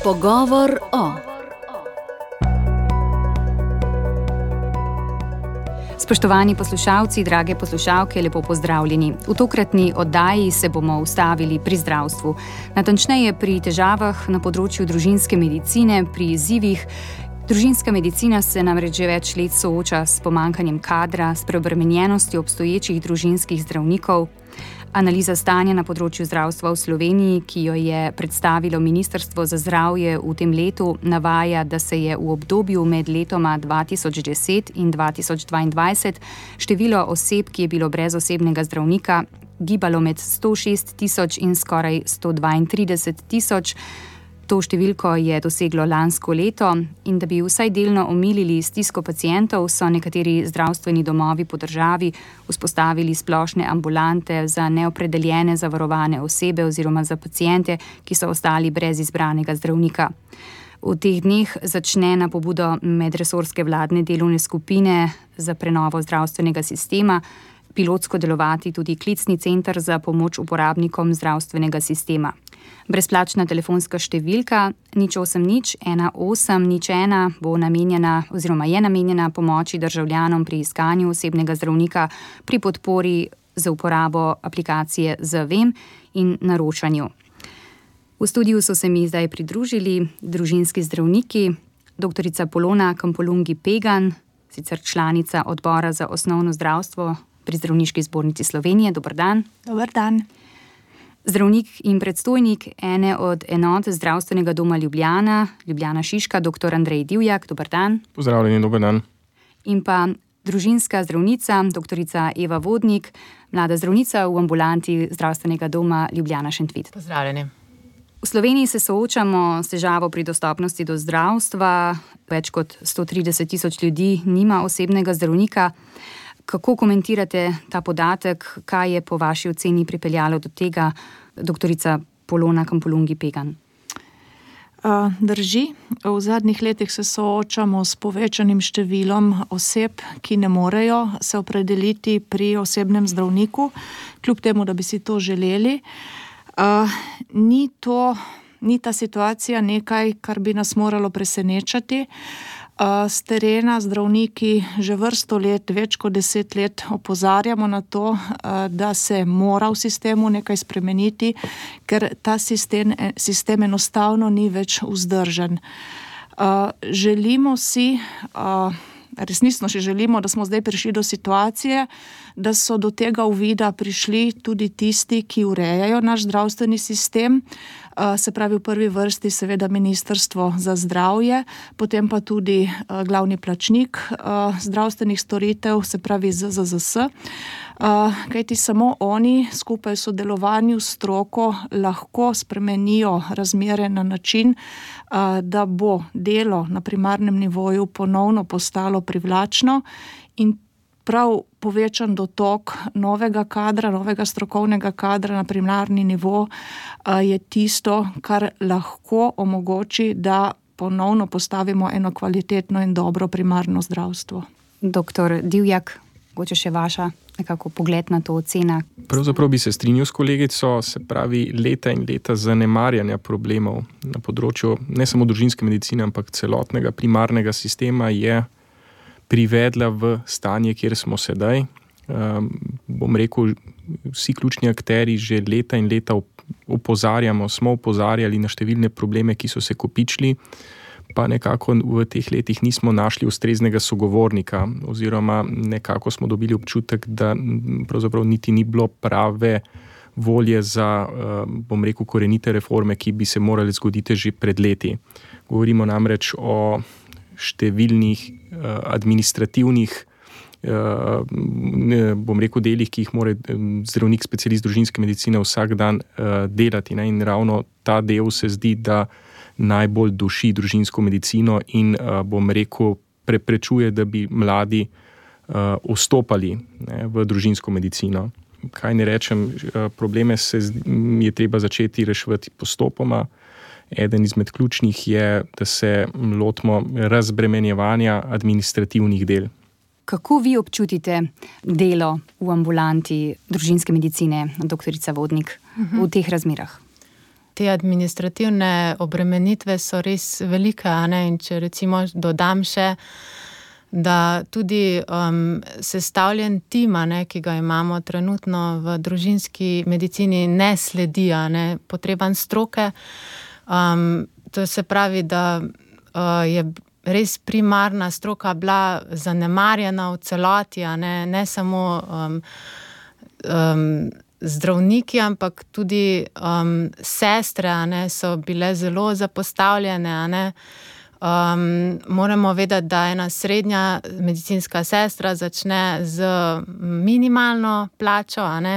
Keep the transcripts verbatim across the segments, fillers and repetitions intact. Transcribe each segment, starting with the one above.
Pogovor o. Spoštovani poslušalci, drage poslušalke, lepo pozdravljeni. V tokratni oddaji se bomo ustavili pri zdravstvu. Natančneje pri težavah na področju družinske medicine, pri izzivih. Družinska medicina se namreč že več let sooča s pomanjkanjem kadra, s preobremenjenostjo obstoječih družinskih zdravnikov. Analiza stanja na področju zdravstva v Sloveniji, ki jo je predstavilo Ministrstvo za zdravje v tem letu, navaja, da se je v obdobju med letoma dva tisoč deset in dva tisoč dvaindvajset število oseb, ki je bilo brez osebnega zdravnika, gibalo med sto šest tisoč in skoraj sto dvaintrideset tisoč. To številko je doseglo lansko leto in da bi vsaj delno omilili stisko pacientov, so nekateri zdravstveni domovi po državi vzpostavili splošne ambulante za neopredeljene zavarovane osebe oziroma za paciente, ki so ostali brez izbranega zdravnika. V teh dneh začne na pobudo medresorske vladne delovne skupine za prenovo zdravstvenega sistema pilotsko delovati tudi klicni center za pomoč uporabnikom zdravstvenega sistema. Brezplačna telefonska številka nič osem nič ena osem nič ena bo namenjena oziroma je namenjena pomoči državljanom pri iskanju osebnega zdravnika, pri podpori za uporabo aplikacije Zavem in naročanju. V studiu so se mi zdaj pridružili družinski zdravniki, doktorica Polona Kampolungi-Pegan, sicer članica odbora za osnovno zdravstvo pri Zdravniški zbornici Slovenije. Dober dan. Dober dan. Zdravnik in predstojnik ene od enot Zdravstvenega doma Ljubljana, Ljubljana Šiška, doktor Andrej Divjak. Dober dan. Pozdravljeni, dober dan. In pa družinska zdravnica, doktorica Eva Vodnik, mlada zdravnica v ambulanti Zdravstvenega doma Ljubljana Šentvid. Pozdravljeni. V Sloveniji se soočamo s težavo pri dostopnosti do zdravstva. Več kot sto trideset tisoč ljudi nima osebnega zdravnika. Kako komentirate ta podatek? Kaj je po vaši oceni pripeljalo do tega, doktorica Polona Kampolungi-Pegan? Drži. V zadnjih letih se soočamo s povečanim številom oseb, ki ne morejo se opredeliti pri osebnem zdravniku, kljub temu, da bi si to želeli. Ni to, ni ta situacija nekaj, kar bi nas moralo presenečati. S terena zdravniki že vrsto let, več kot deset let opozarjamo na to, da se mora v sistemu nekaj spremeniti, ker ta sistem, sistem enostavno ni več vzdržen. Želimo si, resnično si želimo, da smo zdaj prišli do situacije, da so do tega uvida prišli tudi tisti, ki urejajo naš zdravstveni sistem, se pravi v prvi vrsti seveda Ministrstvo za zdravje, potem pa tudi glavni plačnik zdravstvenih storitev, se pravi Z Z Z S, kajti samo oni skupaj v sodelovanju s stroko lahko spremenijo razmere na način, da bo delo na primarnem nivoju ponovno postalo privlačno in prav povečan dotok novega kadra, novega strokovnega kadra na primarni nivo je tisto, kar lahko omogoči, da ponovno postavimo eno kvalitetno in dobro primarno zdravstvo. Doktor Divjak, mogoče še vaša nekako pogled na to ocena? Pravzaprav bi se strinjal s kolegico, se pravi leta in leta zanemarjanja problemov na področju ne samo družinske medicine, ampak celotnega primarnega sistema je privedla v stanje, kjer smo sedaj. Um, bom rekel, vsi ključni akteri že leta in leta opozarjamo, smo opozarjali na številne probleme, ki so se kopičili, pa nekako v teh letih nismo našli ustreznega sogovornika oziroma nekako smo dobili občutek, da pravzaprav niti ni bilo prave volje za, bom rekel, korenite reforme, ki bi se morali zgoditi že pred leti. Govorimo namreč o številnih administrativnih, bom rekel, delih, ki jih mora zdravnik, specialist družinske medicine vsak dan delati. In ravno ta del se zdi, da najbolj duši družinsko medicino in, bom rekel, preprečuje, da bi mladi vstopali v družinsko medicino. Kaj ne rečem, probleme se je treba začeti reševati postopoma. Eden izmed ključnih je, da se lotimo razbremenjevanja administrativnih del. Kako vi občutite delo v ambulanti družinske medicine, doktorica Vodnik, uh-huh. v teh razmerah? te administrativne obremenitve so res velike, a ne, in če recimo dodam še, da tudi um, sestavljen tim, a ne, ki ga imamo trenutno v družinski medicini, ne sledi, a ne, potrebam stroke. Um, to se pravi, da uh, je res primarna stroka bila zanemarjena v celoti, a ne, ne samo um, um, zdravniki, ampak tudi um, sestre, a ne, so bile zelo zapostavljene, a ne. Um, moramo vedeti, da ena srednja medicinska sestra začne z minimalno plačo, a ne,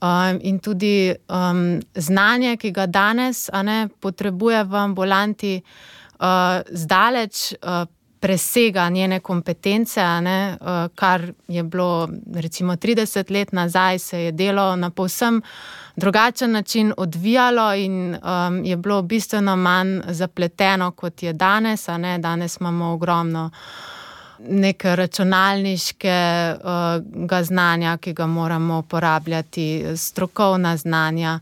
um, in tudi um, znanje, ki ga danes, a ne, potrebuje v ambulanti, uh, zdaleč uh, presega njene kompetence, a ne, uh, kar je bilo recimo trideset let nazaj, se je delo na povsem drugačen način odvijalo in um, je bilo bistveno manj zapleteno, kot je danes, a ne, danes imamo ogromno neke računalniškega uh, znanja, ki ga moramo uporabljati, strokovna znanja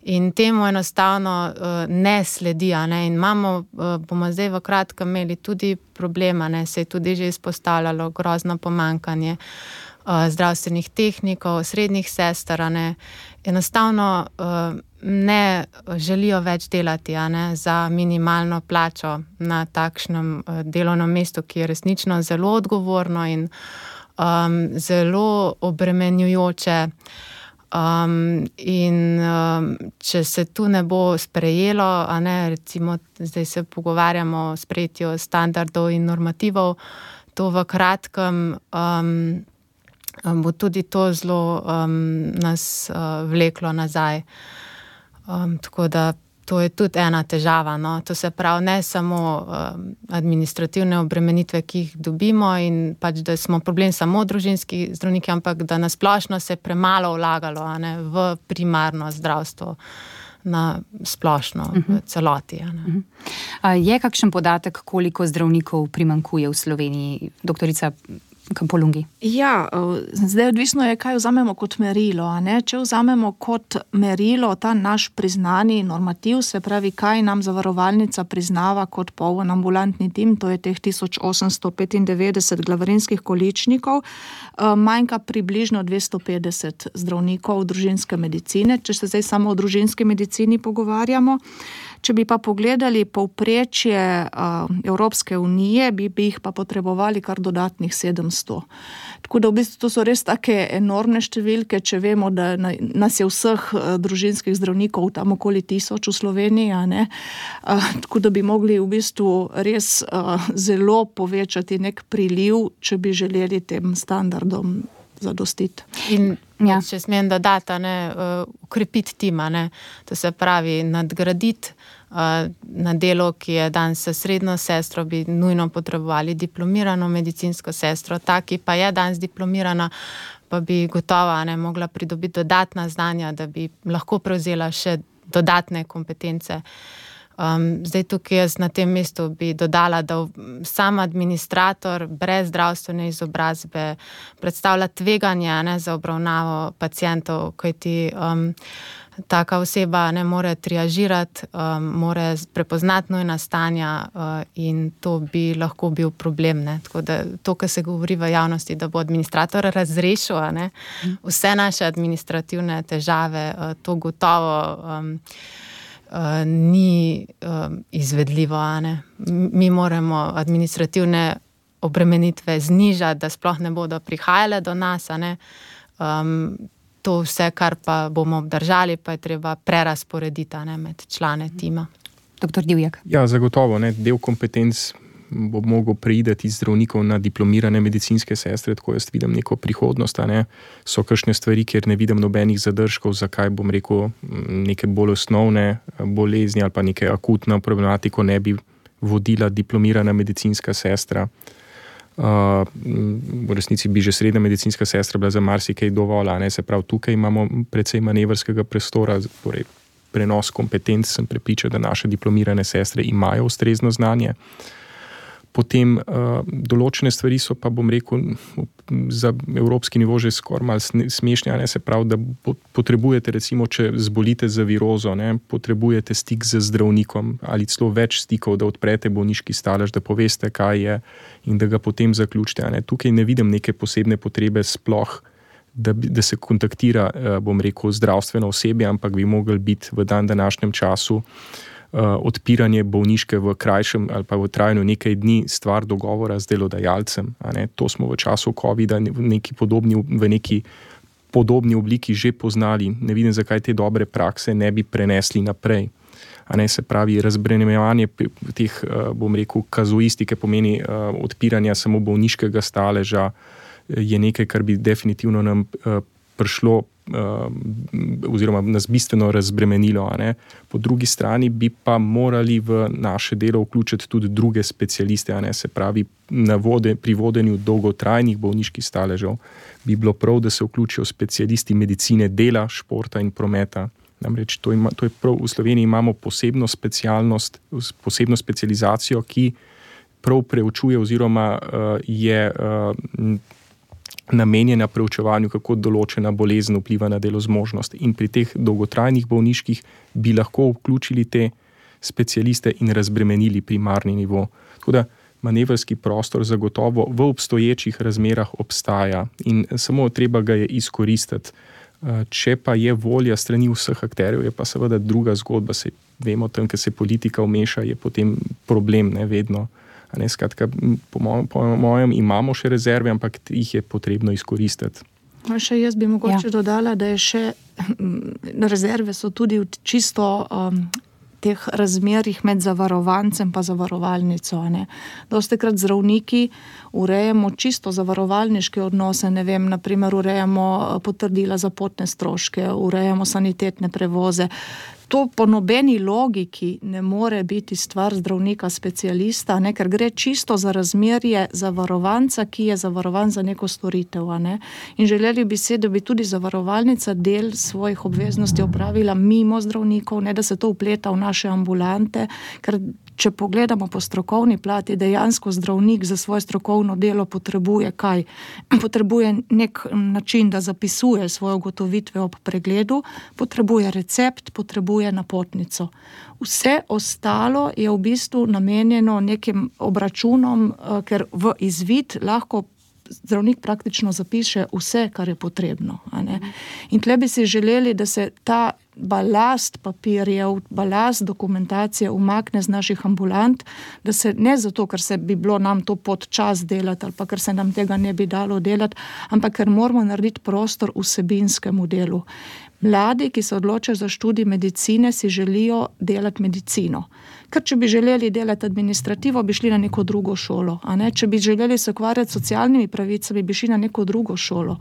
in temu enostavno uh, ne sledi, a ne, in imamo, uh, bomo zdaj v kratkem imeli tudi problema, ne, se je tudi že izpostavljalo grozno pomanjkanje uh, zdravstvenih tehnikov, srednjih sester, a ne, enostavno uh, ne želijo več delati, a ne, za minimalno plačo na takšnem uh, delovnem mestu, ki je resnično zelo odgovorno in um, zelo obremenjujoče. Um, in um, če se tu ne bo sprejelo, a ne, recimo zdaj se pogovarjamo o sprejetju standardov in normativov, to v kratkem um, bo tudi to zelo um, nas uh, vleklo nazaj. Um, tako da to je tudi ena težava, no. To se pravi, ne samo um, administrativne obremenitve, ki jih dobimo in pač, da smo problem samo družinski zdravniki, ampak da nasplošno se premalo vlagalo, a ne, v primarno zdravstvo na splošno, uh-huh. v celoti. A ne. Uh-huh. Je kakšen podatek, koliko zdravnikov primanjkuje v Sloveniji, doktorica Kampolungi? Ja, zdaj odvisno je, kaj vzamemo kot merilo, a ne? Če vzamemo kot merilo ta naš priznani normativ, se pravi, kaj nam zavarovalnica priznava kot poln ambulantni tim, to je teh tisoč osemsto petindevetdeset glavarinskih količnikov, manjka približno dvesto petdeset zdravnikov družinske medicine, če se zdaj samo o družinski medicini pogovarjamo. Če bi pa pogledali povprečje uh, Evropske unije, bi, bi jih pa potrebovali kar dodatnih sedemsto. Tako da v bistvu to so res take enormne številke, če vemo, da na, nas je vseh uh, družinskih zdravnikov tam okoli tisoč v Sloveniji, a ne? Uh, tako da bi mogli v bistvu res uh, zelo povečati nek priliv, če bi želeli tem standardom zadostiti. In ja. če smem dodati, ne, ukrepiti tima, ne, to se pravi nadgraditi uh, na delo, ki je danes s srednjo sestro, bi nujno potrebovali diplomirano medicinsko sestro, ta, ki pa je danes diplomirana, pa bi gotovo, ne, mogla pridobiti dodatna znanja, da bi lahko prevzela še dodatne kompetence. Um, zdaj tukaj jaz na tem mestu bi dodala, da sam administrator brez zdravstvene izobrazbe predstavlja tveganje, ne, za obravnavo pacientov, kajti um, taka oseba ne more triažirati, um, more prepoznati nujna stanja uh, in to bi lahko bil problem. Ne. Tako da to, kar se govori v javnosti, da bo administrator razrešil, ne, vse naše administrativne težave, uh, to gotovo um, Uh, ni uh, izvedljivo, a ne. Mi moramo administrativne obremenitve znižati, da sploh ne bodo prihajale do nas, a ne. Um, to vse, kar pa bomo obdržali, pa je treba prerasporediti, a ne, med člane tima. Doktor Divjak. Ja, zagotovo, ne, del kompetenc bo mogel preideti iz zdravnikov na diplomirane medicinske sestre, tako jaz vidim neko prihodnost, a ne. So kakšne stvari, kjer ne vidim nobenih zadržkov, zakaj bom rekel neke bolj osnovne bolezni ali pa neke akutne problematiko ne bi vodila diplomirana medicinska sestra. Uh, v resnici bi že srednja medicinska sestra bila za marsikaj dovolj, a ne, se pravi, tukaj imamo precej manevrskega prostora, torej prenos kompetenc, sem prepričan, da naše diplomirane sestre imajo ustrezno znanje. Potem uh, določene stvari so pa, bom rekel, za evropski nivo že skoraj malo smešne, ne, se pravi, da potrebujete, recimo, če zbolite za virozo, ne, potrebujete stik z zdravnikom ali celo več stikov, da odprete bolniški stalež, da poveste, kaj je in da ga potem zaključite. Ne. Tukaj ne vidim neke posebne potrebe sploh, da, da se kontaktira, bom rekel, zdravstveno osebje, ampak bi mogli biti v dan današnjem času Uh, odpiranje bolniške v krajšem ali pa v trajanju nekaj dni stvar dogovora z delodajalcem. A ne? To smo v času covida v neki podobni, v neki podobni obliki že poznali. Ne vidim, zakaj te dobre prakse ne bi prenesli naprej. A ne, se pravi, razbremenjevanje teh, uh, bom rekel, kazuistike pomeni uh, odpiranja samo bolniškega staleža je nekaj, kar bi definitivno nam uh, prišlo oziroma nas bistveno razbremenilo. A ne. Po drugi strani bi pa morali v naše delo vključiti tudi druge specialiste, a ne. Se pravi, na vode, pri vodenju dolgotrajnih bolniških staležev bi bilo prav, da se vključijo specialisti medicine dela, športa in prometa. Namreč to, ima, to je prav, v Sloveniji imamo posebno specialnost, posebno specializacijo, ki prav preučuje oziroma uh, je uh, namenjena preučevanju, kako določena bolezen vpliva na delozmožnost. In pri teh dolgotrajnih bolniških bi lahko vključili te specialiste in razbremenili primarni nivo. Tako da manevrski prostor zagotovo v obstoječih razmerah obstaja in samo treba ga je izkoristiti. Če pa je volja strani vseh akterjev, je pa seveda druga zgodba. Se vemo, tam, ker se politika vmeša, je potem problem, ne vedno. Ne, skratka, po, mojem, po mojem imamo še rezerve, ampak jih je potrebno izkoristiti. Še jaz bi mogoče ja. dodala, da je še rezerve so tudi v čisto um, teh razmerih med zavarovancem pa zavarovalnico. Ne. Dostikrat zdravniki urejamo čisto zavarovalniške odnose, ne vem, naprimer urejamo potrdila za potne stroške, urejamo sanitetne prevoze. To po nobeni logiki ne more biti stvar zdravnika specialista, ne, ker gre čisto za razmerje zavarovanca, ki je zavarovan za neko storitev. Ne. In želeli bi se, da bi tudi zavarovalnica del svojih obveznosti opravila mimo zdravnikov, ne da se to vpleta v naše ambulante, ker če pogledamo po strokovni plati, dejansko zdravnik za svoje strokovno delo potrebuje kaj? Potrebuje nek način, da zapisuje svoje ugotovitve ob pregledu, potrebuje recept, potrebuje napotnico. Vse ostalo je v bistvu namenjeno nekim obračunom, ker v izvid lahko zdravnik praktično zapiše vse, kar je potrebno. A ne? In tle bi si želeli, da se ta balast papirjev, balast dokumentacije umakne z naših ambulant, da se ne zato, ker se bi bilo nam to pod čas delati ali pa ker se nam tega ne bi dalo delati, ampak ker moramo narediti prostor vsebinskemu delu. Mladi, ki se odločajo za študij medicine, si želijo delati medicino. Ker če bi želeli delati administrativo, bi šli na neko drugo šolo. A ne? Če bi želeli se ukvarjati s socialnimi pravicami, bi šli na neko drugo šolo.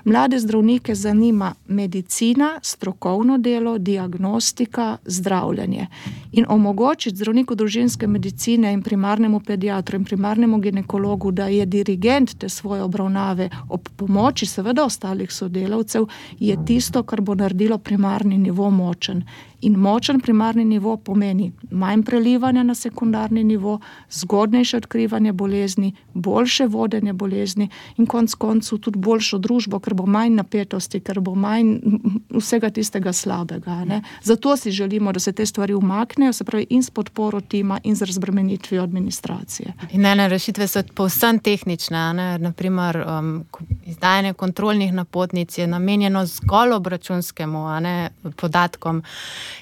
Mlade zdravnike zanima medicina, strokovno delo, diagnostika, zdravljenje. In omogočiti zdravniku družinske medicine in primarnemu pediatru in primarnemu ginekologu, da je dirigent te svoje obravnave ob pomoči seveda ostalih sodelavcev, je tisto, kar bo naredilo primarni nivo močen. In močen primarni nivo pomeni manj prelivanja na sekundarni nivo, zgodnejše odkrivanje bolezni, boljše vodenje bolezni in konc koncu tudi boljšo družbo, ker bo manj napetosti, ker bo manj vsega tistega slabega. Ne? Zato si želimo, da se te stvari umaknejo, se pravi in s podporo tima in z razbremenitvijo administracije. In ene rešitve so povsem tehnične, ne? Naprimer um, izdajanje kontrolnih napotnic je namenjeno zgolj obračunskemu, a ne, podatkom.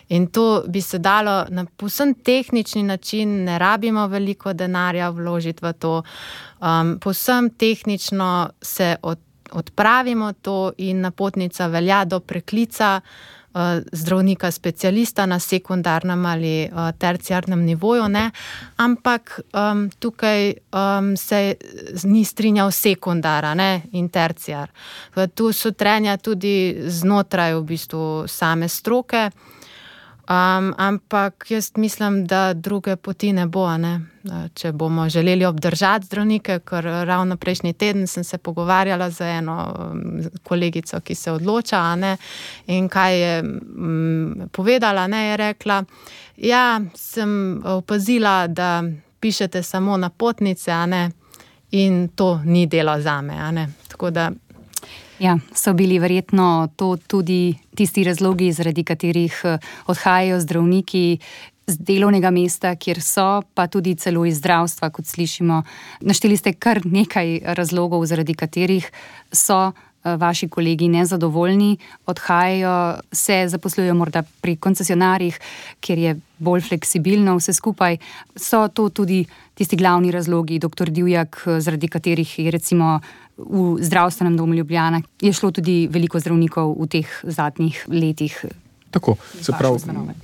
In to bi se dalo na povsem tehnični način, ne rabimo veliko denarja vložiti v to, um, povsem tehnično se od, odpravimo to in napotnica velja do preklica uh, zdravnika specialista na sekundarnem ali uh, terciarnem nivoju, ne? Ampak um, tukaj um, se ni strinjal sekundara, ne? In terciar. Tu so trenja tudi znotraj v bistvu same stroke. Um, ampak jaz mislim, da druge poti ne bo, ne? Če bomo želeli obdržati zdravnike, ker ravno prejšnji teden sem se pogovarjala z eno kolegico, ki se odloča, ne? In kaj je um, povedala, ne? Je rekla, ja, sem opazila, da podpišete samo napotnice, a ne, in to ni delo zame, a ne. Tako da Ja, so bili verjetno to tudi tisti razlogi, zaradi katerih odhajajo zdravniki z delovnega mesta, kjer so, pa tudi celo iz zdravstva, kot slišimo. Našteli ste kar nekaj razlogov, zaradi katerih so vaši kolegi nezadovoljni, odhajajo, se zaposlujejo morda pri koncesionarjih, kjer je bolj fleksibilno vse skupaj. So to tudi tisti glavni razlogi, doktor Divjak, zaradi katerih je recimo v zdravstvenem domu Ljubljana je šlo tudi veliko zdravnikov v teh zadnjih letih? Tako, se pravi,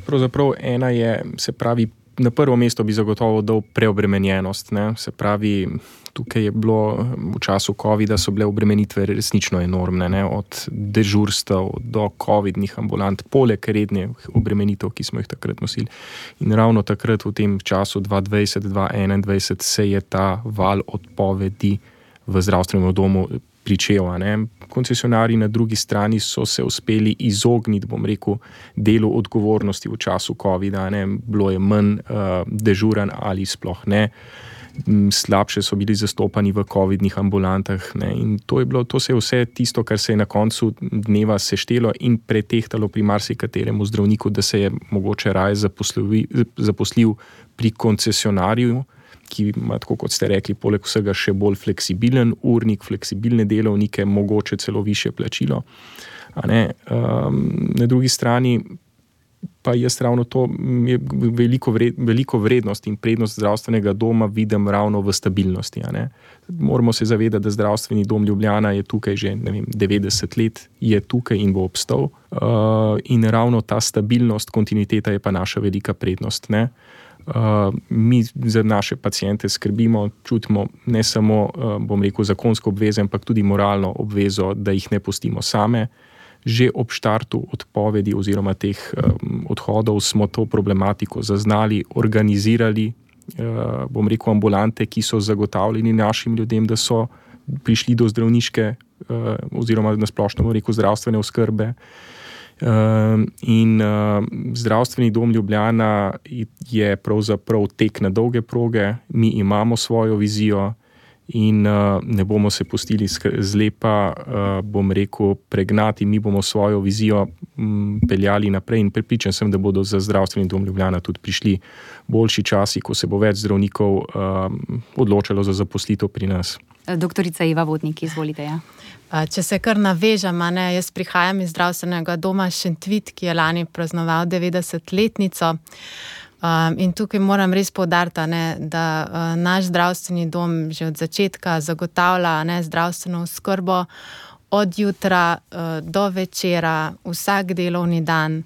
pravzaprav ena je, se pravi, na prvo mesto bi zagotovo dal preobremenjenost, ne, se pravi, tukaj je bilo v času covida so bile obremenitve resnično enormne, ne, od dežurstev do covidnih ambulant, poleg rednih obremenitev, ki smo jih takrat nosili. In ravno takrat v tem času dva dvajset do dva enaindvajset se je ta val odpovedi v zdravstvenem domu pričel, ne. Koncesionarji na drugi strani so se uspeli izogniti, bom rekel, delu odgovornosti v času covida, ne. Bilo je manj uh, dežuran ali sploh ne. Slabše so bili zastopani v covidnih ambulantah, ne. In to je bilo, to se je vse tisto, kar se je na koncu dneva seštelo in pretehtalo pri marsikateremu zdravniku, da se je mogoče raje zaposlil, zaposlil pri koncesionarju, ki ima, tako kot ste rekli, poleg vsega še bolj fleksibilen urnik, fleksibilne delovnike, mogoče celo višje plačilo. A ne? Um, na drugi strani pa jaz ravno to je veliko, vred, veliko vrednost in prednost zdravstvenega doma vidim ravno v stabilnosti. A ne? Moramo se zavedati, da zdravstveni dom Ljubljana je tukaj že ne vem, devetdeset let, je tukaj in bo obstal. Uh, in ravno ta stabilnost, kontinuiteta je pa naša velika prednost, ne? Uh, mi za naše paciente skrbimo, čutimo ne samo, uh, bom rekel, zakonsko obvezo, ampak tudi moralno obvezo, da jih ne pustimo same. Že ob štartu odpovedi oziroma teh um, odhodov smo to problematiko zaznali, organizirali, uh, bom rekel, ambulante, ki so zagotavljeni našim ljudem, da so prišli do zdravniške uh, oziroma na splošno, bom rekel, zdravstvene oskrbe. Uh, in uh, zdravstveni dom Ljubljana je pravzaprav tek na dolge proge, mi imamo svojo vizijo in uh, ne bomo se pustili zlepa, uh, bom rekel, pregnati, mi bomo svojo vizijo m, peljali naprej in prepričan sem, da bodo za zdravstveni dom Ljubljana tudi prišli boljši časi, ko se bo več zdravnikov uh, odločalo za zaposlitev pri nas. Doktorica Eva Vodnik, izvolite, ja. Če se kar navežem, ne, jaz prihajam iz zdravstvenega doma Šentvid, ki je lani praznoval devetdesetletnico. Um, in tukaj moram res poudariti, ne, da uh, naš zdravstveni dom že od začetka zagotavlja ne, zdravstveno oskrbo od jutra uh, do večera, vsak delovni dan,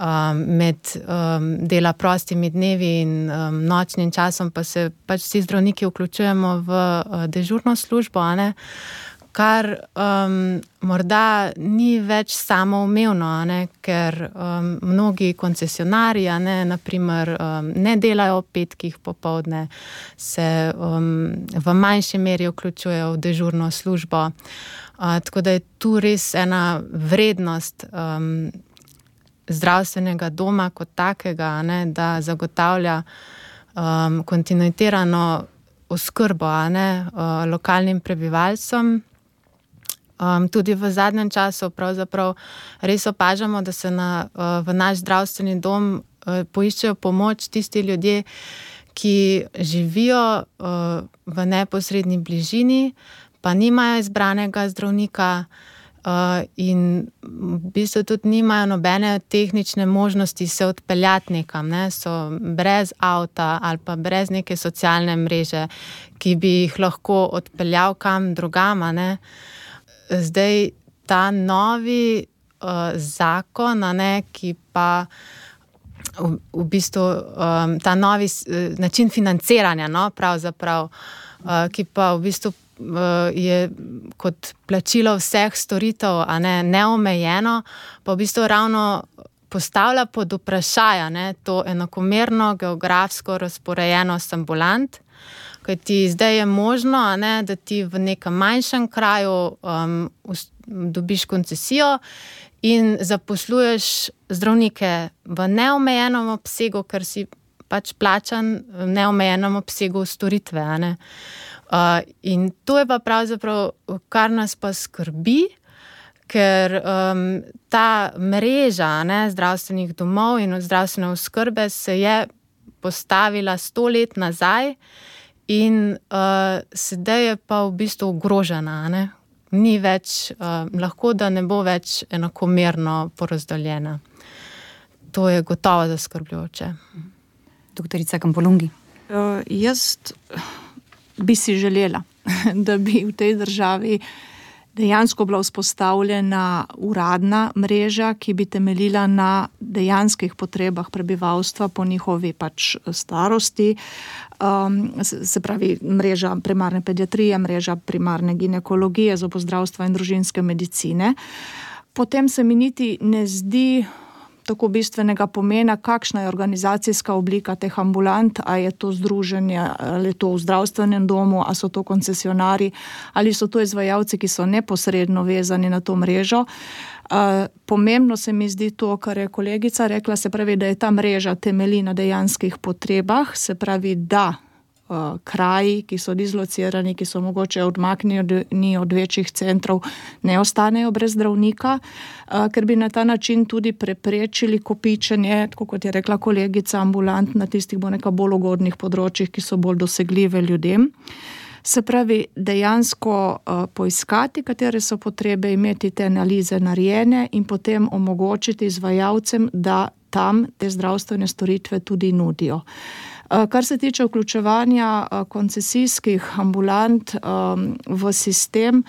um, med um, dela prostimi dnevi in um, nočnim časom, pa se pač vsi zdravniki vključujemo v uh, dežurno službo, ne, kar um, morda ni več samoumevno, ne, ker um, mnogi koncesionarji, ne, naprimer, um, ne delajo ob petkih popoldne, se um, v manjši meri vključujejo v dežurno službo. Uh, tako da je tu res ena vrednost um, zdravstvenega doma kot takega, ne, da zagotavlja um, kontinuitirano oskrbo, ne, uh, lokalnim prebivalcem. Um, tudi v zadnjem času pravzaprav res opažamo, da se na, uh, v naš zdravstveni dom uh, poiščejo pomoč tisti ljudje, ki živijo uh, v neposredni bližini, pa nimajo izbranega zdravnika uh, in v bistvu tudi nimajo nobene tehnične možnosti se odpeljati nekam, ne? So brez avta ali pa brez neke socialne mreže, ki bi jih lahko odpeljal kam drugam, ne? Zdaj ta novi uh, zakon, ne, ki pa v, v bistvu um, ta novi uh, način financiranja, no, pravzaprav, uh, ki pa v bistvu uh, je kot plačilo vseh storitev, a ne, neomejeno, pa v bistvu ravno postavlja pod vprašaj, ne, to enakomerno geografsko razporejenost ambulant. Kaj ti zdaj je možno, ne, da ti v nekem manjšem kraju um, dobiš koncesijo in zaposluješ zdravnike v neomejenem obsegu, ker si pač plačan v neomejenem obsegu storitve. A ne? Uh, in to je pa pravzaprav, kar nas pa skrbi, ker um, ta mreža ne, zdravstvenih domov in zdravstvene oskrbe se je postavila sto let nazaj in uh, sedaj je pa v bistvu ogrožena. Ne? Ni več, uh, lahko da ne bo več enakomerno porazdeljena. To je gotovo zaskrbljujoče. Doktorica Kampolungi. Uh, jaz bi si želela, da bi v tej državi dejansko bila vzpostavljena uradna mreža, ki bi temeljila na dejanskih potrebah prebivalstva po njihovi pač starosti. Um, se pravi, mreža primarne pediatrije, mreža primarne ginekologije, zobozdravstva in družinske medicine. Potem se mi niti ne zdi tako bistvenega pomena, kakšna je organizacijska oblika teh ambulant, a je to združenje, ali je to v zdravstvenem domu, a so to koncesionari, ali so to izvajalci, ki so neposredno vezani na to mrežo. Uh, pomembno se mi zdi to, kar je kolegica rekla, se pravi, da je ta mreža temelji na dejanskih potrebah, se pravi, da uh, kraji, ki so dislocirani, ki so mogoče odmaknjeni od večjih centrov, ne ostanejo brez zdravnika, uh, ker bi na ta način tudi preprečili kopičenje, tako kot je rekla kolegica, ambulant na tistih bo neka bolj ugodnih področjih, ki so bolj dosegljive ljudem. Se pravi, dejansko uh, poiskati, katere so potrebe, imeti te analize narejene in potem omogočiti izvajalcem, da tam te zdravstvene storitve tudi nudijo. Uh, kar se tiče vključevanja uh, koncesijskih ambulant um, v sistem,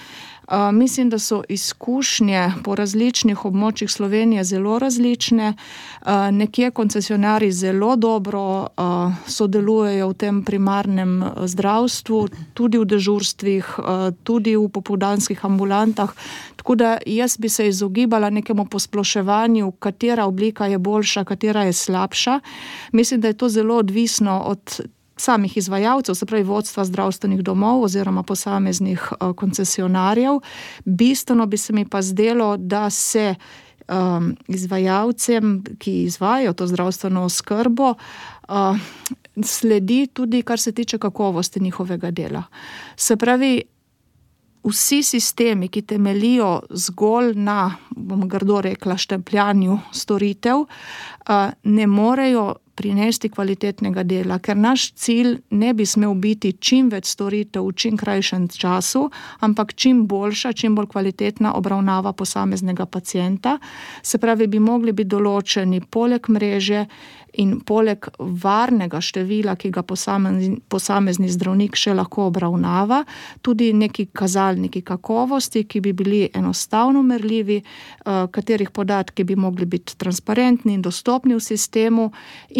uh, mislim, da so izkušnje po različnih območjih Slovenije zelo različne. Uh, nekje koncesionari zelo dobro uh, sodelujejo v tem primarnem zdravstvu, tudi v dežurstvih, uh, tudi v popoldanskih ambulantah. Tako da jaz bi se izogibala nekemu posploševanju, katera oblika je boljša, katera je slabša. Mislim, da je to zelo odvisno od samih izvajalcev, se pravi vodstva zdravstvenih domov oziroma posameznih uh, koncesionarjev. Bistveno bi se mi pa zdelo, da se um, izvajalcem, ki izvajajo to zdravstveno oskrbo, uh, sledi tudi, kar se tiče kakovosti njihovega dela. Se pravi, vsi sistemi, ki temelijo zgolj na, bom grdo rekla, štempljanju storitev, ne morejo prinesti kvalitetnega dela, ker naš cilj ne bi smel biti čim več storitev v čim krajšem času, ampak čim boljša, čim bolj kvalitetna obravnava posameznega pacienta. Se pravi, bi mogli biti določeni poleg mreže in poleg varnega števila, ki ga posamezni, posamezni zdravnik še lahko obravnava, tudi neki kazalniki kakovosti, ki bi bili enostavno merljivi, katerih podatki bi mogli biti transparentni in dostopni v sistemu,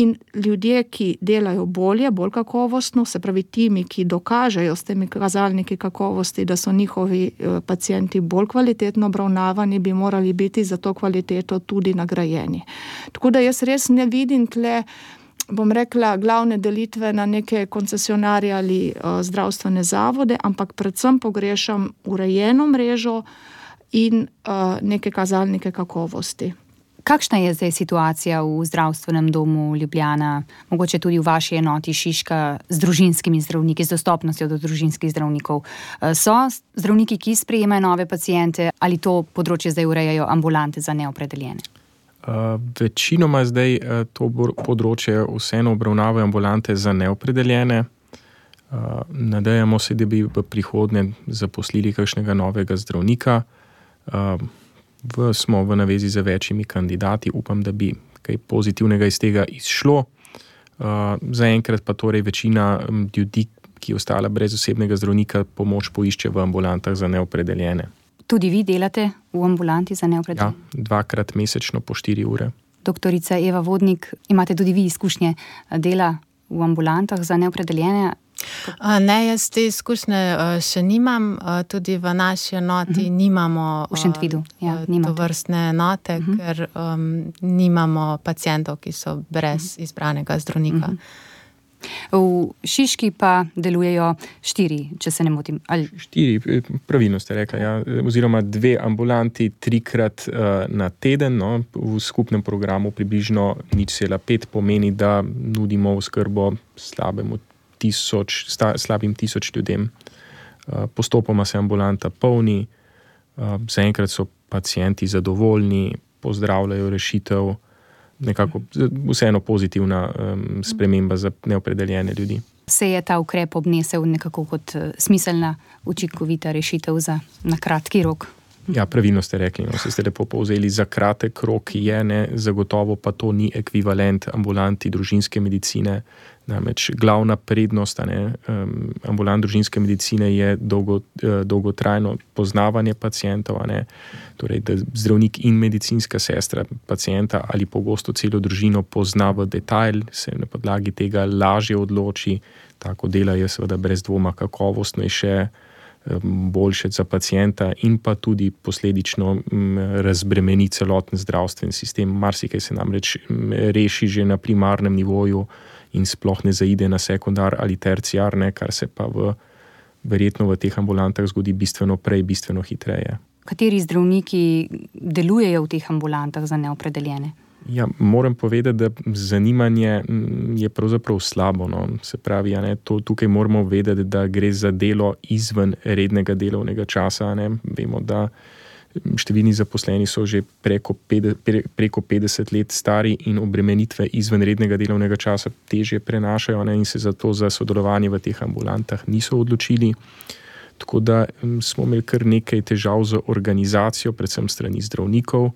in ljudje, ki delajo bolje, bolj kakovostno, se pravi timi, ki dokažejo s temi kazalniki kakovosti, da so njihovi pacienti bolj kvalitetno obravnavani, bi morali biti za to kvaliteto tudi nagrajeni. Tako da jaz res ne vidim tle, bom rekla, glavne delitve na neke koncesionarje ali uh, zdravstvene zavode, ampak predvsem pogrešam urejeno mrežo in uh, neke kazalnike kakovosti. Kakšna je zdaj situacija v zdravstvenem domu Ljubljana, mogoče tudi v vaši enoti Šiška z družinskimi zdravniki, z dostopnostjo do družinskih zdravnikov? So zdravniki, ki sprejemajo nove paciente, ali to področje zdaj urejajo ambulante za neopredeljene? Uh, večinoma zdaj uh, to področje vseeno obravnavajo ambulante za neopredeljene. Uh, nadejamo se, da bi v prihodnje zaposlili kakšnega novega zdravnika. Uh, v, smo v navezi z večjimi kandidati, upam, da bi kaj pozitivnega iz tega izšlo. Uh, zaenkrat pa torej večina um, ljudi, ki je ostala brez osebnega zdravnika, pomoč poišče v ambulantah za neopredeljene. Tudi vi delate v ambulanti za neopredeljene? Ja, dvakrat mesečno po štiri ure. Doktorica Eva Vodnik, imate tudi vi izkušnje dela v ambulantah za neopredeljene? Ne, jaz te izkušnje še nimam, tudi v naši enoti uh-huh. nimamo v Šentvidu, ja, tovrstne enote, uh-huh. ker um, nimamo pacientov, ki so brez uh-huh. izbranega zdravnika. Uh-huh. V Šiški pa delujejo štiri, če se ne motim. Ali... Štiri, pravilno ste rekli, ja. Oziroma dve ambulanti trikrat uh, na teden, no, v skupnem programu približno nič cela pet pomeni, da nudimo oskrbo slabemu tisoč, sta, slabim tisoč ljudem. Uh, postopoma se ambulanta polni, uh, zaenkrat so pacienti zadovoljni, pozdravljajo rešitev, nekako vseeno pozitivna um, sprememba za neopredeljene ljudi. Se je ta ukrep obnesel nekako kot smiselna, učinkovita rešitev za na kratki rok? Ja, pravilno ste rekli, no, ste lepo povzeli, za kratek rok je, ne, zagotovo pa to ni ekvivalent ambulanti družinske medicine. Namreč glavna prednost ne, um, ambulant družinske medicine je dolgo, uh, dolgotrajno poznavanje pacientov, ne, torej da zdravnik in medicinska sestra pacienta ali pogosto celo družino pozna v detajl, se na podlagi tega lažje odloči, tako dela je seveda brez dvoma kakovostnejše, boljše za pacienta in pa tudi posledično razbremeni celoten zdravstven sistem. Marsikaj se namreč reši že na primarnem nivoju in sploh ne zaide na sekundar ali terciar, ne, kar se pa v, verjetno v teh ambulantah zgodi bistveno prej, bistveno hitreje. Kateri zdravniki delujejo v teh ambulantah za neopredeljene? Ja, moram povedati, da zanimanje je pravzaprav slabo. No. Se pravi, ja, ne, to, tukaj moramo vedeti, da gre za delo izven rednega delovnega časa. Ne. Vemo, da številni zaposleni so že preko, pet, pre, preko petdeset let stari in obremenitve izven rednega delovnega časa težje prenašajo, ne, in se zato za sodelovanje v teh ambulantah niso odločili. Tako da smo imeli kar nekaj težav z organizacijo, predvsem strani zdravnikov.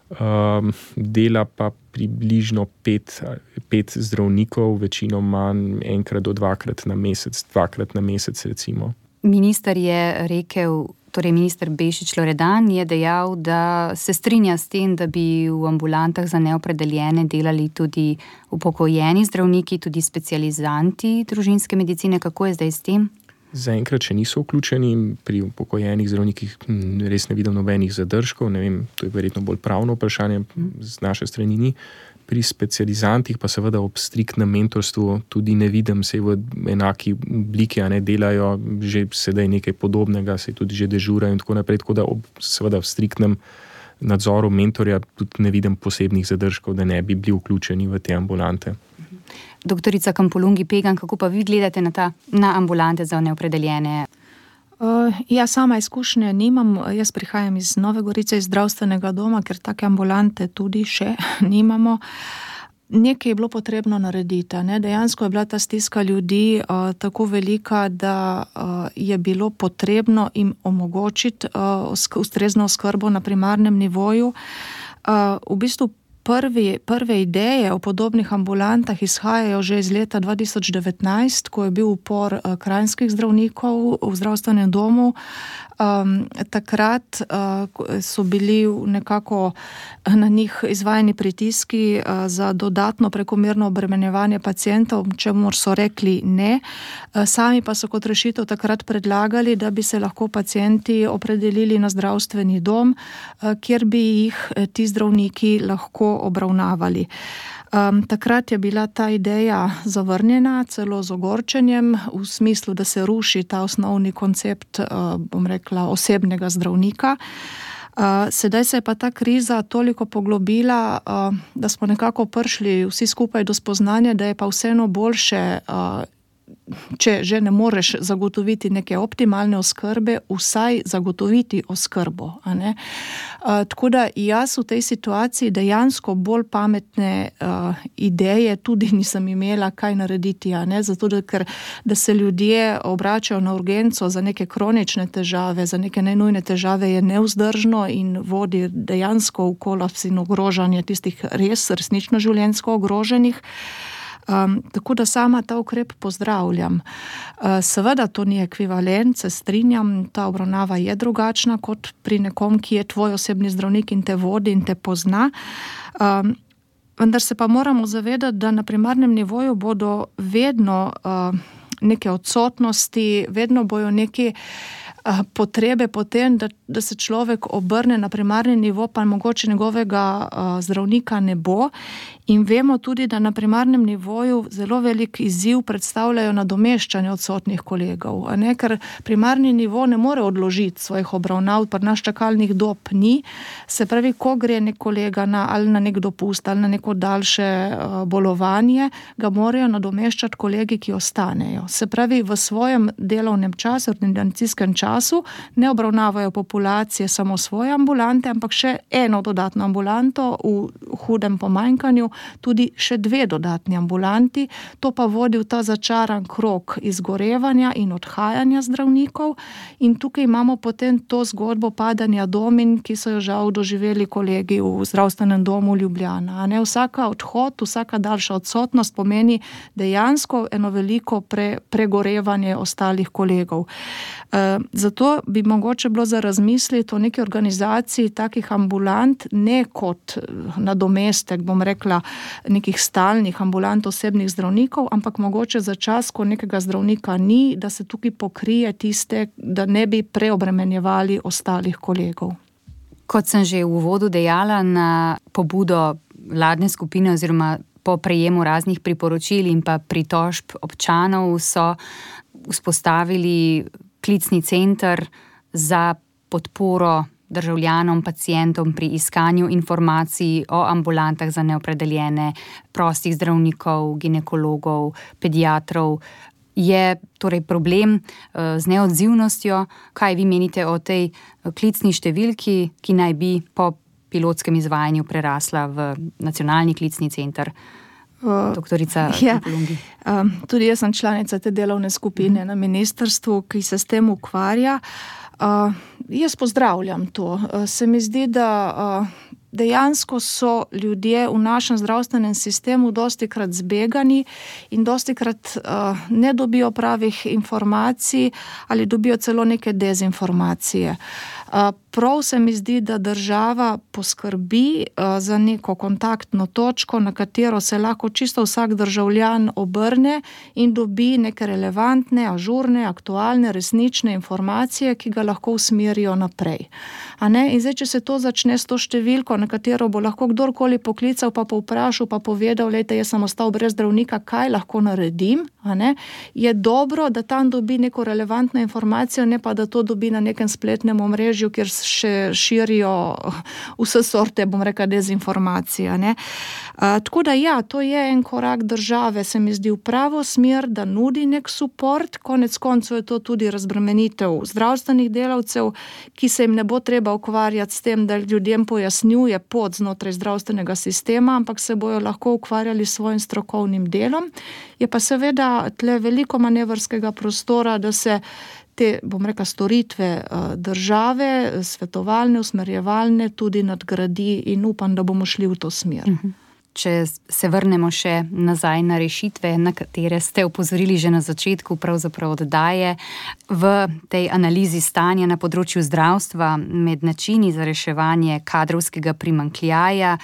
Um, dela pa približno pet, pet zdravnikov, večinoma enkrat do dvakrat na mesec, dvakrat na mesec recimo. Minister je rekel, torej minister Bešič Loredan je dejal, da se strinja s tem, da bi v ambulantah za neopredeljene delali tudi upokojeni zdravniki, tudi specializanti družinske medicine. Kako je zdaj s tem? Zaenkrat še niso vključeni, pri upokojenih zdravnikih res ne vidim nobenih zadržkov, ne vem, to je verjetno bolj pravno vprašanje, z naše strani ni. Pri specializantih pa seveda ob striktnem mentorstvu tudi ne vidim, se v enaki obliki, a ne delajo že sedaj nekaj podobnega, se tudi že dežurajo in tako naprej, tako da ob seveda v striktnem nadzoru mentorja tudi ne vidim posebnih zadržkov, da ne bi bili vključeni v te ambulante. Doktorica Kampolungi Pegan, kako pa vi gledate na, ta, na ambulante za neopredeljene? Uh, ja, sama izkušnje nimam. Jaz prihajam iz Nove Gorice, iz zdravstvenega doma, ker take ambulante tudi še nimamo. Nekaj je bilo potrebno narediti. Ne? Dejansko je bila ta stiska ljudi uh, tako velika, da uh, je bilo potrebno jim omogočiti uh, ustrezno oskrbo na primarnem nivoju. Uh, v bistvu Prvi, prve ideje o podobnih ambulantah izhajajo že iz leta dva tisoč devetnajst, ko je bil upor kranjskih zdravnikov v zdravstvenem domu. Um, takrat uh, so bili nekako na njih izvajani pritiski uh, za dodatno prekomerno obremenjevanje pacientov, čemur so rekli ne. Uh, sami pa so kot rešitev takrat predlagali, da bi se lahko pacienti opredelili na zdravstveni dom, uh, kjer bi jih ti zdravniki lahko obravnavali. Um, takrat je bila ta ideja zavrnjena, celo z ogorčenjem, v smislu, da se ruši ta osnovni koncept, uh, bom rekla, osebnega zdravnika. Uh, sedaj se je pa ta kriza toliko poglobila, uh, da smo nekako prišli vsi skupaj do spoznanja, da je pa vseeno boljše, uh, če že ne moreš zagotoviti neke optimalne oskrbe, vsaj zagotoviti oskrbo. A ne? Uh, tako da jaz v tej situaciji dejansko bolj pametne uh, ideje tudi nisem imela, kaj narediti. A ne? Zato, da, ker, da se ljudje obračajo na urgenco za neke kronične težave, za neke najnujne težave, je nevzdržno in vodi dejansko v kolaps in ogrožanje tistih res resnično življenjsko ogroženih. Um, tako da sama ta ukrep pozdravljam. Uh, seveda to ni ekvivalent, se strinjam, ta obravnava je drugačna kot pri nekom, ki je tvoj osebni zdravnik in te vodi in te pozna. Um, vendar se pa moramo zavedati, da na primarnem nivoju bodo vedno uh, neke odsotnosti, vedno bojo neke uh, potrebe potem, da, da se človek obrne na primarni nivo, pa mogoče njegovega uh, zdravnika ne bo. In vemo tudi, da na primarnem nivoju zelo velik izziv predstavljajo nadomeščanje odsotnih kolegov, a ne, ker primarni nivo ne more odložiti svojih obravnav, pa naš čakalnih dob ni. Se pravi, ko gre nek kolega na, ali na nek dopust, ali na neko daljše uh, bolovanje, ga morajo nadomeščati kolegi, ki ostanejo. Se pravi, v svojem delovnem času, ordinacijskem času, ne obravnavajo populacije samo svoje ambulante, ampak še eno dodatno ambulanto v hudem pomanjkanju, tudi še dve dodatni ambulanti, to pa vodi v ta začaran krog izgorevanja in odhajanja zdravnikov in tukaj imamo potem to zgodbo padanja domin, ki so jo žal doživeli kolegi v zdravstvenem domu Ljubljana. A ne, vsaka odhod, vsaka daljša odsotnost pomeni dejansko eno veliko pre, pregorevanje ostalih kolegov. E, zato bi mogoče bilo za razmisliti o neki organizaciji takih ambulant, ne kot nadomestek, bom rekla, nekih stalnih ambulant osebnih zdravnikov, ampak mogoče za čas, ko nekega zdravnika ni, da se tukaj pokrije tiste, da ne bi preobremenjevali ostalih kolegov. Kot sem že v uvodu dejala, na pobudo vladne skupine oziroma po prejemu raznih priporočil in pa pritožb občanov so vzpostavili klicni center za podporo državljanom, pacientom pri iskanju informacij o ambulantah za neopredeljene, prostih zdravnikov, ginekologov, pediatrov. Je torej problem z neodzivnostjo. Kaj vi menite o tej klicni številki, ki naj bi po pilotskem izvajanju prerasla v nacionalni klicni center? Doktorica ja, Polungi. Um, tudi jaz sem članica te delovne skupine mm. na ministrstvu, ki se s tem ukvarja. Uh, jaz pozdravljam to. Uh, se mi zdi, da uh, dejansko so ljudje v našem zdravstvenem sistemu dostikrat zbegani in dostikrat uh, ne dobijo pravih informacij ali dobijo celo neke dezinformacije. Uh, prav se mi zdi, da država poskrbi uh, za neko kontaktno točko, na katero se lahko čisto vsak državljan obrne in dobi neke relevantne, ažurne, aktualne, resnične informacije, ki ga lahko usmerijo naprej. A ne? In zdaj, če se to začne s to številko, na katero bo lahko kdorkoli poklical, pa povprašal, pa povedal, lejte, jaz sem ostal brez zdravnika, kaj lahko naredim, a ne? Je dobro, da tam dobi neko relevantno informacijo, ne pa da to dobi na nekem spletnem omrežju, kjer še širijo vse sorte, bom rekla, dezinformacije. Ne? A, tako da ja, to je en korak države, se mi zdi v pravo smer, da nudi nek suport, konec koncev je to tudi razbremenitev zdravstvenih delavcev, ki se jim ne bo treba ukvarjati s tem, da ljudem pojasnjuje pot znotraj zdravstvenega sistema, ampak se bojo lahko ukvarjali s svojim strokovnim delom. Je pa seveda tle veliko manevrskega prostora, da se te, bom rekla, storitve države, svetovalne, usmerjevalne, tudi nadgradi in upam, da bomo šli v to smer. Če se vrnemo še nazaj na rešitve, na katere ste opozorili že na začetku pravzaprav oddaje, v tej analizi stanja na področju zdravstva med načini za reševanje kadrovskega primanjkljaja,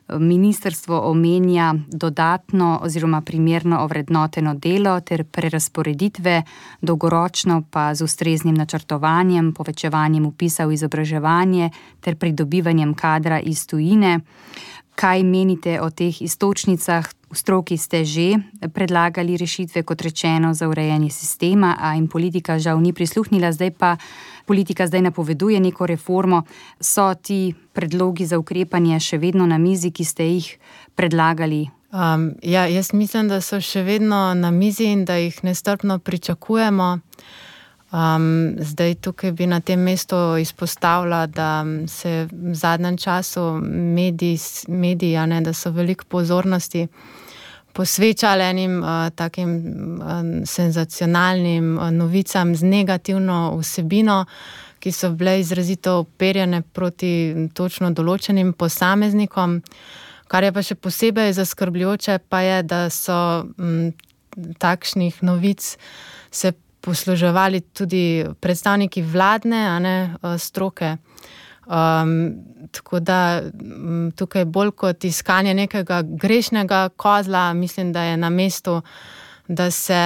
ministrstvo omenja dodatno oziroma primerno ovrednoteno delo ter prerazporeditve, dolgoročno pa z ustreznim načrtovanjem, povečevanjem vpisa v izobraževanje ter pridobivanjem kadra iz tujine. Kaj menite o teh iztočnicah? V stroki ste že predlagali rešitve, kot rečeno, za urejanje sistema, a jim politika žal ni prisluhnila, zdaj pa politika zdaj napoveduje neko reformo. So ti predlogi za ukrepanje še vedno na mizi, ki ste jih predlagali? Um, ja, jaz mislim, da so še vedno na mizi in da jih nestrpno pričakujemo. Um, zdaj tukaj bi na tem mestu izpostavila, da se v zadnjem času mediji, mediji ne, da so veliko pozornosti posvečali enim uh, takim uh, senzacionalnim uh, novicam z negativno vsebino, ki so bile izrazito uperjene proti točno določenim posameznikom. Kar je pa še posebej zaskrbljujoče, pa je, da so m, takšnih novic se posluževali tudi predstavniki vladne, a ne, stroke. Um, tako da tukaj bolj kot iskanje nekega grešnega kozla, mislim, da je na mestu, da se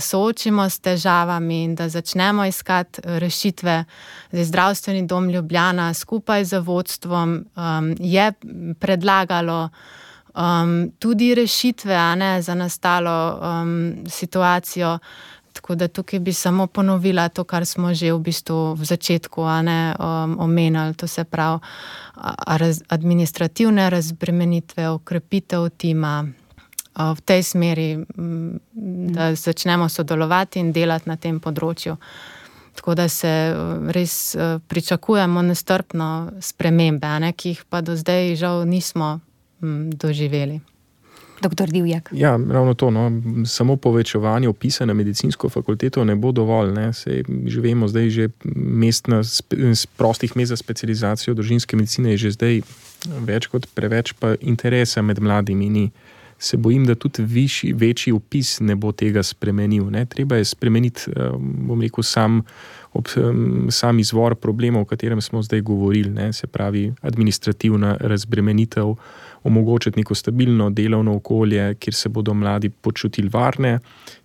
soočimo s težavami in da začnemo iskati rešitve. Zdaj, Zdravstveni dom Ljubljana skupaj z vodstvom um, je predlagalo um, tudi rešitve, a ne, za nastalo um, situacijo. Tako da tukaj bi samo ponovila to, kar smo že v bistvu v začetku, a ne, um, omenili, to se pravi raz, administrativne razbremenitve, okrepitev tima uh, v tej smeri, um, da začnemo sodelovati in delati na tem področju. Tako da se res uh, pričakujemo nestrpno spremembe, a ne, ki jih pa do zdaj žal nismo um, doživeli. Doktor Divjak. Ja, ravno to, no. Samo povečevanje vpisa na medicinsko fakulteto ne bo dovolj, ne. Sej že vemo, zdaj že mest na prostih mest za specializacijo družinske medicine je že zdaj več kot preveč, pa interesa med mladimi ni. Se bojim, da tudi višji, večji vpis ne bo tega spremenil, ne. Treba je spremeniti, bom rekel, sam, ob, sam izvor problemov, o katerem smo zdaj govorili, ne. Se pravi, administrativna razbremenitev, omogočiti neko stabilno delovno okolje, kjer se bodo mladi počutili varne,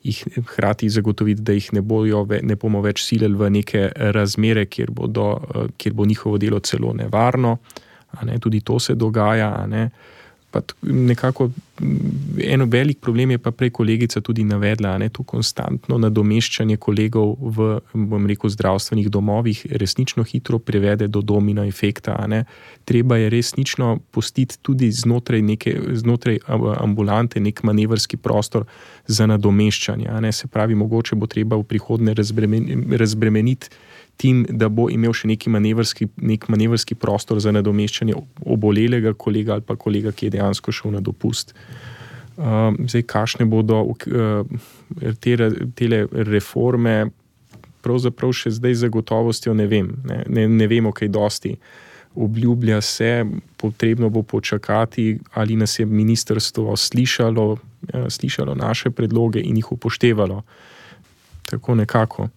jih hkrati zagotoviti, da jih ne, bojo, ne bomo več silili v neke razmere, kjer, bodo, kjer bo njihovo delo celo nevarno, a ne, tudi to se dogaja, a ne. Pa nekako eno velik problem je pa prej kolegica tudi navedla, ne, to konstantno nadomeščanje kolegov v, bom rekel, zdravstvenih domovih resnično hitro privede do domino efekta, a ne. Treba je resnično pustiti tudi znotraj neke, znotraj ambulante nek manevrski prostor za nadomeščanje, a ne. Se pravi, mogoče bo treba v prihodnje razbremen, razbremeniti tim, da bo imel še neki manevrski, nek manevrski prostor za nadomeščanje obolelega kolega ali pa kolega, ki je dejansko šel na dopust. Uh, zdaj, kakšne bodo uh, te, tele reforme, pravzaprav še zdaj za gotovostjo ne vem, ne, ne, ne vemo kaj dosti. Obljublja se, potrebno bo počakati, ali nas je ministrstvo slišalo, uh, slišalo naše predloge in jih upoštevalo. Tako nekako.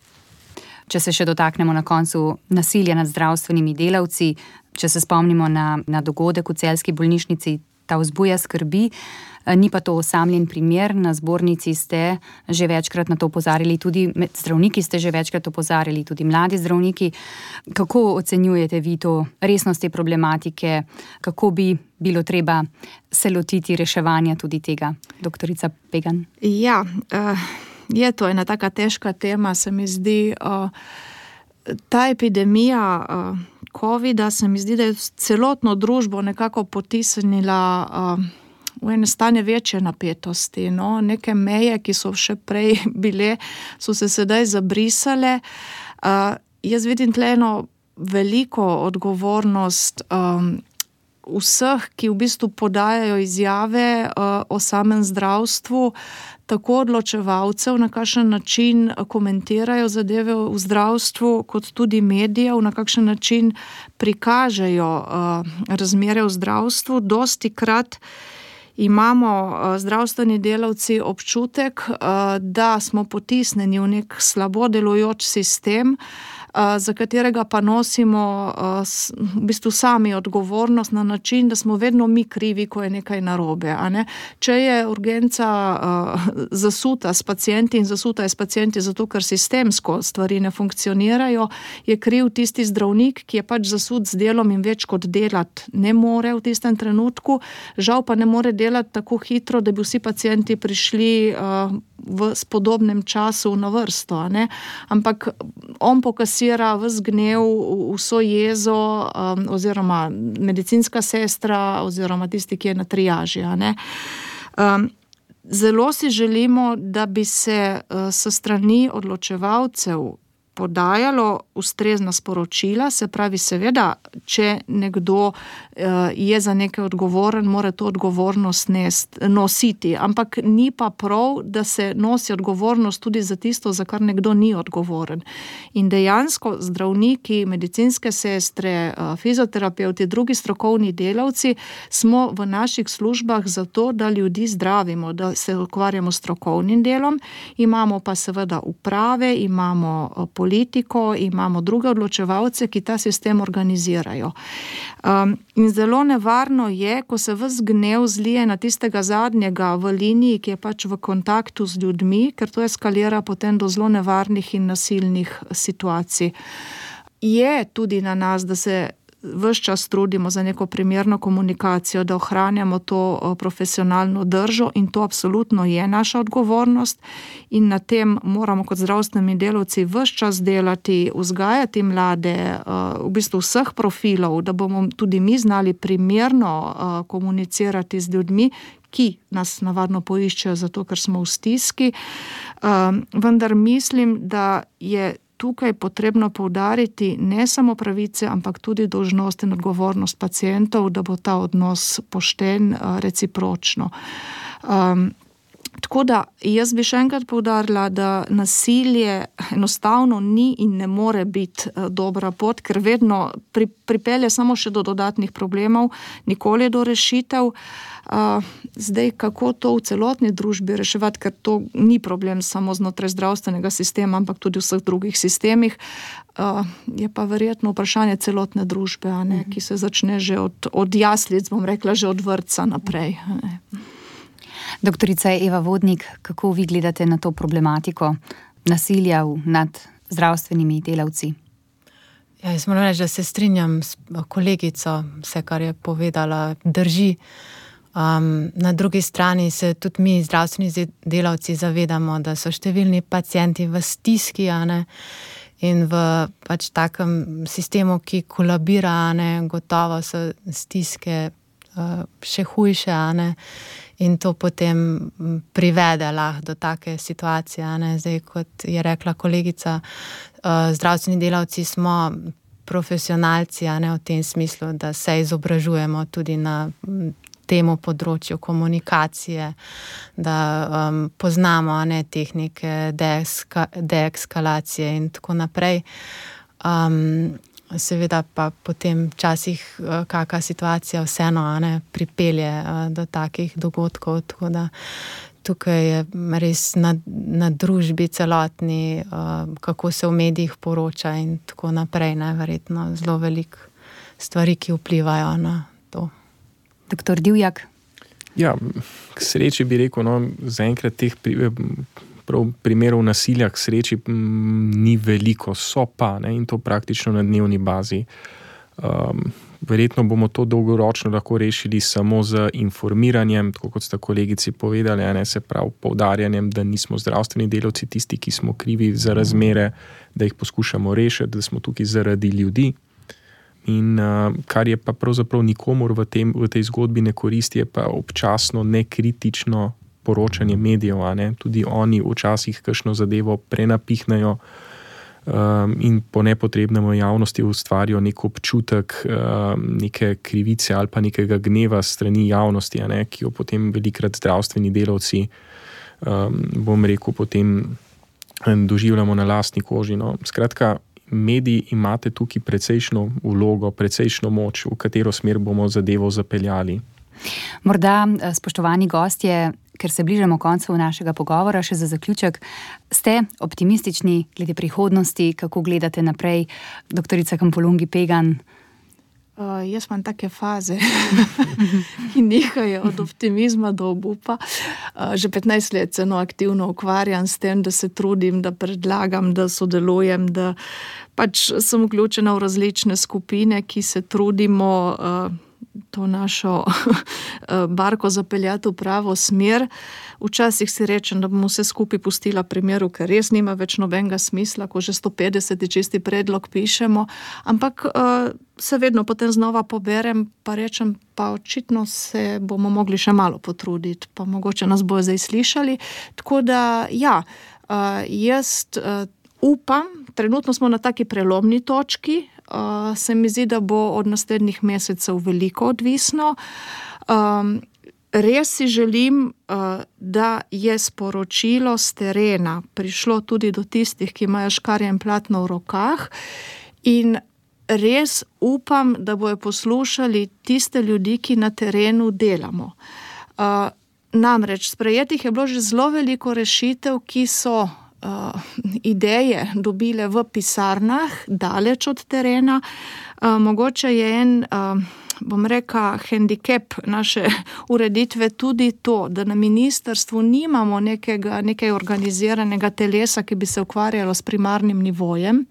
Če se še dotaknemo na koncu nasilja nad zdravstvenimi delavci, če se spomnimo na, na dogodek v celjski bolnišnici, ta vzbuja skrbi, ni pa to osamljen primer, na zbornici ste že večkrat na to opozarjali, tudi med zdravniki ste že večkrat opozarjali, tudi mladi zdravniki. Kako ocenjujete vi to resnost te problematike, kako bi bilo treba se lotiti reševanja tudi tega, doktorica Pegan? Ja, uh... je to ena taka težka tema, se mi zdi. Uh, ta epidemija uh, covida se mi zdi, da je celotno družbo nekako potisnila uh, v ene stanje večje napetosti. No? Neke meje, ki so še prej bile, so se sedaj zabrisale. Uh, jaz vidim tle eno veliko odgovornost um, vseh, ki v bistvu podajajo izjave uh, o samem zdravstvu, tako odločevalcev, na kakšen način komentirajo zadeve v zdravstvu, kot tudi medijev, na kakšen način prikažejo uh, razmere v zdravstvu. Dostikrat imamo uh, zdravstveni delavci občutek, uh, da smo potisnjeni v nek slabo delujoč sistem, Uh, za katerega pa nosimo uh, s, v bistvu sami odgovornost na način, da smo vedno mi krivi, ko je nekaj narobe. A ne? Če je urgenca uh, zasuta s pacienti in zasuta je s pacienti zato, ker sistemsko stvari ne funkcionirajo, je kriv tisti zdravnik, ki je pač zasut z delom in več kot delati ne more v tistem trenutku, žal pa ne more delati tako hitro, da bi vsi pacienti prišli uh, v spodobnem času na vrsto, a ne? Ampak on pokasira ves gnev, vso jezo, um, oziroma medicinska sestra, oziroma tisti, ki je na triaži, a ne? Um, zelo si želimo, da bi se uh, s strani odločevalcev podajalo ustrezna sporočila, se pravi, seveda, če nekdo uh, je za nekaj odgovoren, mora to odgovornost nest, nositi, ampak ni pa prav, da se nosi odgovornost tudi za tisto, za kar nekdo ni odgovoren. In dejansko zdravniki, medicinske sestre, uh, fizioterapeuti, drugi strokovni delavci smo v naših službah zato, da ljudi zdravimo, da se ukvarjamo s strokovnim delom, imamo pa seveda uprave, imamo uh, politiko, imamo druge odločevalce, ki ta sistem organizirajo. Um, in zelo nevarno je, ko se ves gnev zlije na tistega zadnjega v liniji, ki je pač v kontaktu z ljudmi, ker to eskalira potem do zelo nevarnih in nasilnih situacij. Je tudi na nas, da se ves čas trudimo za neko primerno komunikacijo, da ohranjamo to profesionalno držo in to absolutno je naša odgovornost in na tem moramo kot zdravstveni delavci ves čas delati, vzgajati mlade, v bistvu vseh profilov, da bomo tudi mi znali primerno komunicirati z ljudmi, ki nas navadno poiščejo zato, ker smo v stiski. Vendar mislim, da je tukaj potrebno poudariti ne samo pravice, ampak tudi dolžnost in odgovornost pacientov, da bo ta odnos pošten, recipročno. Um, tako da jaz bi še enkrat poudarila, da nasilje enostavno ni in ne more biti dobra pot, ker vedno pri, pripelje samo še do dodatnih problemov, nikoli do rešitev. Uh, zdaj, kako to v celotni družbi reševati, ker to ni problem samo znotraj zdravstvenega sistema, ampak tudi v vseh drugih sistemih, uh, je pa verjetno vprašanje celotne družbe, a ne, ki se začne že od, od jaslic, bom rekla, že od vrtca naprej. Doktorica Eva Vodnik, kako vi gledate na to problematiko nasilja nad zdravstvenimi delavci? Ja, jaz moram reči, da se strinjam s kolegico, vse, kar je povedala, drži. Um, na drugi strani se tudi mi, zdravstveni delavci, zavedamo, da so številni pacienti v stiski, a ne, in v pač takem sistemu, ki kolabira, a ne, gotovo so stiske uh, še hujše, a ne, in to potem privede lahko do take situacije, a ne. Zdaj, kot je rekla kolegica, uh, zdravstveni delavci smo profesionalci, a ne, v tem smislu, da se izobražujemo tudi na temu področju komunikacije, da um, poznamo, a ne, tehnike deeska, deeskalacije in tako naprej. Um, seveda pa potem včasih uh, kakšna situacija vseeno, a ne, pripelje uh, do takih dogodkov, tako da tukaj je res na, na družbi celotni, uh, kako se v medijih poroča in tako naprej, ne, verjetno zelo veliko stvari, ki vplivajo na to. Doktor Divjak? Ja, k sreči bi rekel, no, zaenkrat teh pri, prav primerov nasilja k sreči m, ni veliko, so pa, ne, in to praktično na dnevni bazi. Um, verjetno bomo to dolgoročno lahko rešili samo z informiranjem, tako kot sta kolegici povedali, ne, se pravi poudarjanjem, da nismo zdravstveni delavci tisti, ki smo krivi za razmere, da jih poskušamo rešiti, da smo tukaj zaradi ljudi. In uh, kar je pa pravzaprav nikomor v, tem, v tej zgodbi ne koristi, je pa občasno nekritično poročanje medijev, a ne? Tudi oni včasih kakšno zadevo prenapihnajo um, in po nepotrebnem v javnosti ustvarijo nek občutek um, neke krivice ali pa nekega gneva strani javnosti, a ne? Ki jo potem velikrat zdravstveni delavci, um, bom rekel, potem doživljamo na lastni koži. No? Skratka, mediji imate tukaj precejšno vlogo, precejšno moč, v katero smer bomo zadevo zapeljali. Morda, spoštovani gostje, ker se bližamo koncu našega pogovora, še za zaključek, ste optimistični glede prihodnosti, kako gledate naprej, doktorica Kampolungi Pegan? Uh, jaz imam take faze, ki nihajo od optimizma do obupa. Uh, že petnajst let se no aktivno ukvarjam s tem, da se trudim, da predlagam, da sodelujem, da pač sem vključena v različne skupine, ki se trudimo uh, to našo barko zapeljati v pravo smer. Včasih si rečem, da bom vse skupaj pustila primeru, ker res nima več nobenega smisla, ko že sto petdeset čisti predlog pišemo, ampak uh, se vedno potem znova poberem, pa rečem, pa očitno se bomo mogli še malo potruditi, pa mogoče nas bojo zdaj slišali. Tako da, ja, uh, jaz uh, upam, trenutno smo na taki prelomni točki, uh, se mi zdi, da bo od naslednjih mesecev veliko odvisno. Um, Res si želim, da je sporočilo s terena prišlo tudi do tistih, ki imajo škarje in platno v rokah, in res upam, da bojo poslušali tiste ljudi, ki na terenu delamo. Namreč sprejetih je bilo že zelo veliko rešitev, ki so ideje dobile v pisarnah, daleč od terena. Mogoče je en, bom rekla, hendikep naše ureditve tudi to, da na ministrstvu nimamo nekega, nekaj organiziranega telesa, ki bi se ukvarjalo s primarnim nivojem.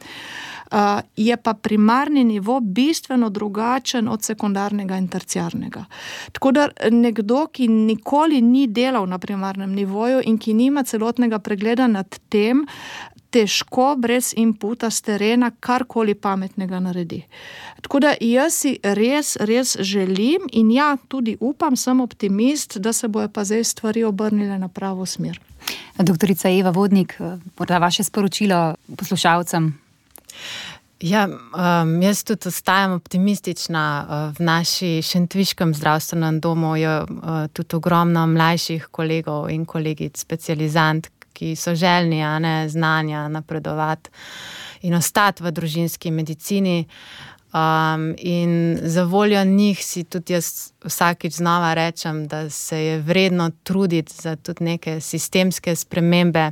uh, je pa primarni nivo bistveno drugačen od sekundarnega in terciarnega. Tako da nekdo, ki nikoli ni delal na primarnem nivoju in ki nima celotnega pregleda nad tem, težko brez inputa z terena karkoli pametnega naredi. Tako da jaz si res, res želim in ja, tudi upam, sem optimist, da se bojo pa zdaj stvari obrnile na pravo smer. Doktorica Eva Vodnik, morda vaše sporočilo poslušalcem? Ja, um, jaz tudi ostajam optimistična. V naši šentviškem zdravstvenem domu je uh, tudi ogromno mlajših kolegov in kolegic, specializant, ki so željni, a ne, znanja napredovati in ostati v družinski medicini. Um, in za voljo njih si tudi jaz vsakič znova rečem, da se je vredno truditi za tudi neke sistemske spremembe.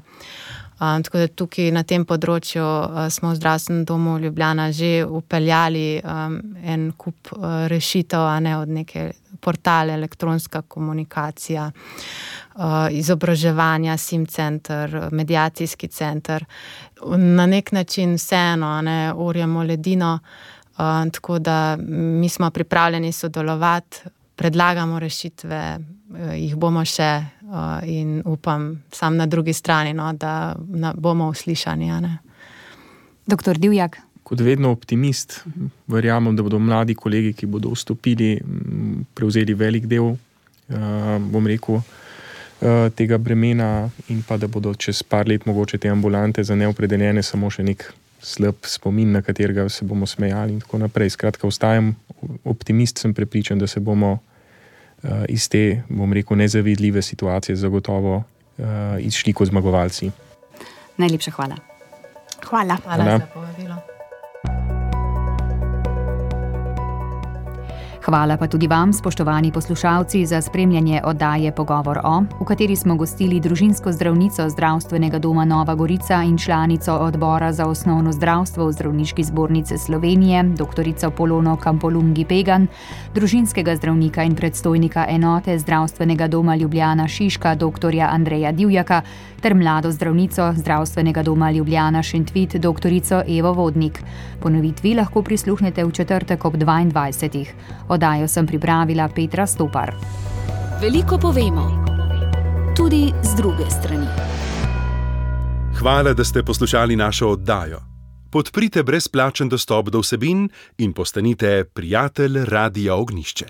Um, tako da tukaj na tem področju uh, smo v zdravstvenem domu Ljubljana že upeljali um, en kup uh, rešitev, a ne, od neke portale, elektronska komunikacija, uh, izobraževanja, sim center, mediacijski center. Na nek način vseeno, a ne, orjamo ledino, uh, tako da mi smo pripravljeni sodelovati, predlagamo rešitve, uh, jih bomo še uh, in upam sam na drugi strani, no, da na, bomo uslišani. A ne. Doktor Divjak. Kot vedno optimist, verjamem, da bodo mladi kolegi, ki bodo vstopili, prevzeli velik del, uh, bom rekel, uh, tega bremena in pa da bodo čez par let mogoče te ambulante za neopredeljene samo še nek slab spomin, na katerega se bomo smejali in tako naprej. Skratka, ostajam optimist, sem prepričan, da se bomo uh, iz te, bom rekel, nezavidljive situacije zagotovo uh, izšli kot zmagovalci. Najlepša hvala. Hvala. Hvala, hvala. Za povabilo. Hvala pa tudi vam, spoštovani poslušalci, za spremljanje oddaje Pogovor o, v kateri smo gostili družinsko zdravnico Zdravstvenega doma Nova Gorica in članico odbora za osnovno zdravstvo v Zdravniški zbornici Slovenije, doktorico Polono Kampolungi Pegan, družinskega zdravnika in predstojnika enote Zdravstvenega doma Ljubljana Šiška, doktorja Andreja Divjaka, ter mlado zdravnico Zdravstvenega doma Ljubljana Šentvid, doktorico Evo Vodnik. Ponovitvi lahko prisluhnete v četrtek ob dvaindvajsetih. Oddajo sem pripravila Petra Stopar. Veliko povemo, tudi z druge strani. Hvala, da ste poslušali našo oddajo. Podprite brezplačen dostop do vsebin in postanite prijatelj Radia Ognjišče.